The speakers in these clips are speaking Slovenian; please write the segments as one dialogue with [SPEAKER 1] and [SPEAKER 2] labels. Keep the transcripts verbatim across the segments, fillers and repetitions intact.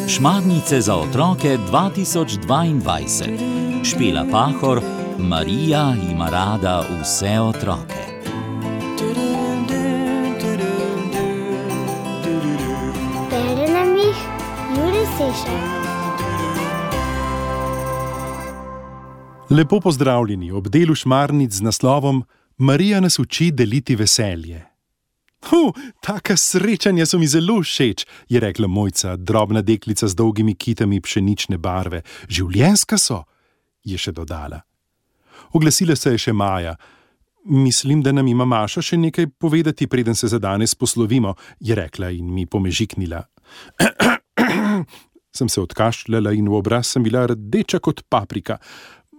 [SPEAKER 1] Šmarnice za otroke dva tisoč dvaindvajset. Špela Pahor, Marija ima rada vse otroke.
[SPEAKER 2] Bere nam jih Jure Sešar.
[SPEAKER 3] Lepo pozdravljeni ob delu Šmarnic z naslovom Marija nas uči deliti veselje. Hu, taka srečanja so mi zelo všeč, je rekla Mojca, drobna deklica z dolgimi kitami pšenične barve. Življenjska so, je še dodala. Oglasila se je še Maja. Mislim, da nam ima Maša še nekaj povedati, preden se za danes poslovimo, je rekla in mi pomežiknila. Sem se odkašljala in v obraz sem bila rdeča kot paprika.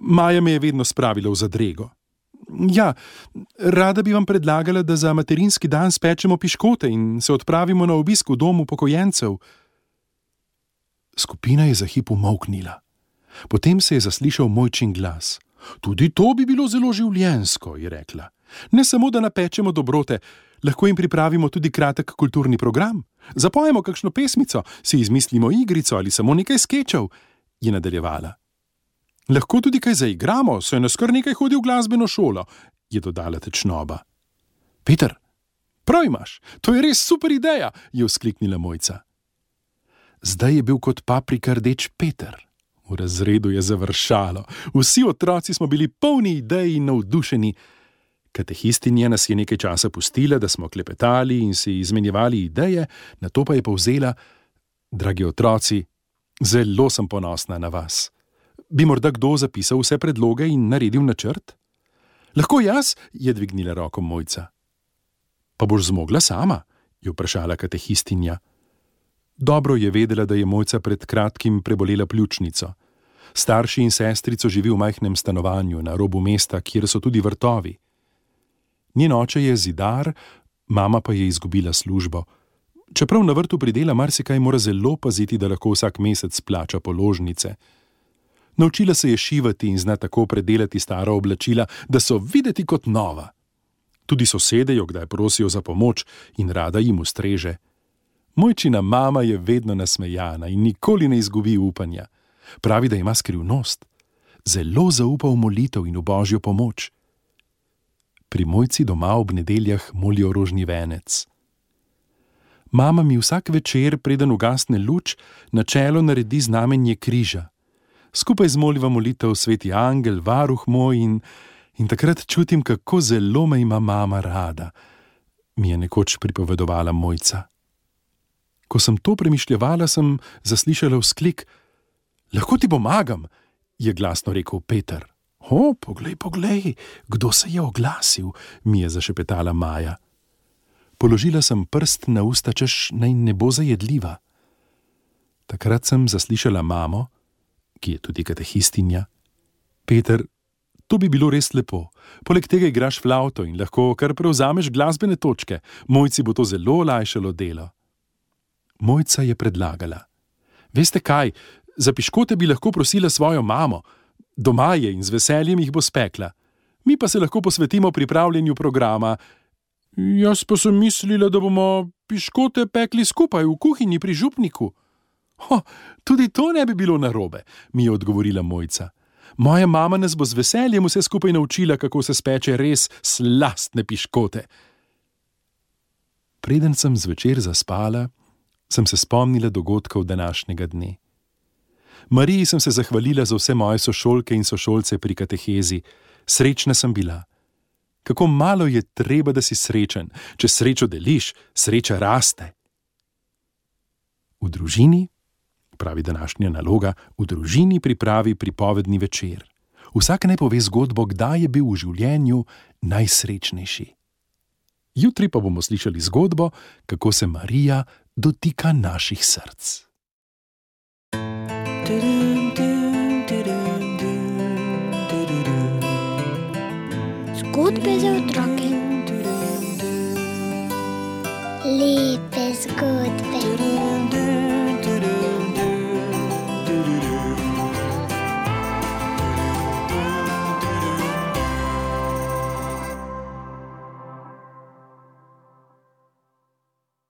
[SPEAKER 3] Maja me je vedno spravila v zadrego. Ja, rada bi vam predlagala, da za materinski dan spečemo piškote in se odpravimo na obisk v domu upokojencev. Skupina je za hip umolknila. Potem se je zaslišal Mojčin glas. Tudi to bi bilo zelo življenjsko, je rekla. Ne samo, da napečemo dobrote, lahko jim pripravimo tudi kratek kulturni program. Zapojemo kakšno pesmico, si izmislimo igrico ali samo nekaj skečev, je nadaljevala. Lahko tudi kaj zaigramo, saj nas kar nekaj hodi v glasbeno šolo, je dodala tečnoba. Peter, prav imaš, to je res super ideja, je vzkliknila Mojca. Zdaj je bil kot paprika rdeč Peter. V razredu je završalo. Vsi otroci smo bili polni idej in navdušeni. Katehistinja nas je nekaj časa pustila, da smo klepetali in si izmenjevali ideje, nato pa je povzela: Dragi otroci, zelo sem ponosna na vas. Bi morda kdo zapisal vse predloge in naredil načrt? Lahko jaz, je dvignila roko Mojca. Pa boš zmogla sama, je vprašala katehistinja. Dobro je vedela, da je Mojca pred kratkim prebolela pljučnico. Starši in sestrico živi v majhnem stanovanju na robu mesta, kjer so tudi vrtovi. Njen oče je zidar, mama pa je izgubila službo. Čeprav na vrtu pridela marsikaj, mora zelo paziti, da lahko vsak mesec plača položnice. Naučila se je šivati in zna tako predelati stara oblačila, da so videti kot nova. Tudi sosede jo kdaj prosijo za pomoč in rada jim ustreže. Mojčina mama je vedno nasmejana in nikoli ne izgubi upanja. Pravi, da ima skrivnost. Zelo zaupa v molitev in v božjo pomoč. Pri Mojci doma ob nedeljah molijo rožni venec. Mama mi vsak večer, preden ugasne luč, na čelo naredi znamenje križa. Skupaj zmoliva molitev sveti angel, varuh moj in, in takrat čutim, kako zelo me ima mama rada, mi je nekoč pripovedovala Mojca. Ko sem to premišljevala, sem zaslišala vzklik. Lahko ti pomagam, je glasno rekel Peter. O, poglej, poglej, kdo se je oglasil, mi je zašepetala Maja. Položila sem prst na usta, češ naj ne bo zajedljiva. Takrat sem zaslišala mamo, ki je tudi katehistinja. Peter, to bi bilo res lepo. Poleg tega igraš flavto in lahko kar prevzameš glasbene točke. Mojci bo to zelo olajšalo delo. Mojca je predlagala. Veste kaj, za piškote bi lahko prosila svojo mamo. Doma je in z veseljem jih bo spekla. Mi pa se lahko posvetimo pripravljanju programa. Jaz pa sem mislila, da bomo piškote pekli skupaj v kuhinji pri župniku. Ho, tudi to ne bi bilo narobe, mi je odgovorila Mojca. Moja mama nas bo z veseljem vse skupaj naučila, kako se speče res slastne piškote. Preden sem zvečer zaspala, sem se spomnila dogodkov današnjega dne. Mariji sem se zahvalila za vse moje sošolke in sošolce pri katehezi. Srečna sem bila. Kako malo je treba, da si srečen. Če srečo deliš, sreča raste. V družini, pravi današnja naloga, v družini pripravi pripovedni večer. Vsak naj pove zgodbo, kdaj je bil v življenju najsrečnejši. Jutri pa bomo slišali zgodbo, kako se Marija dotika naših src.
[SPEAKER 2] Zgodbe za otroke. Lepe zgodbe.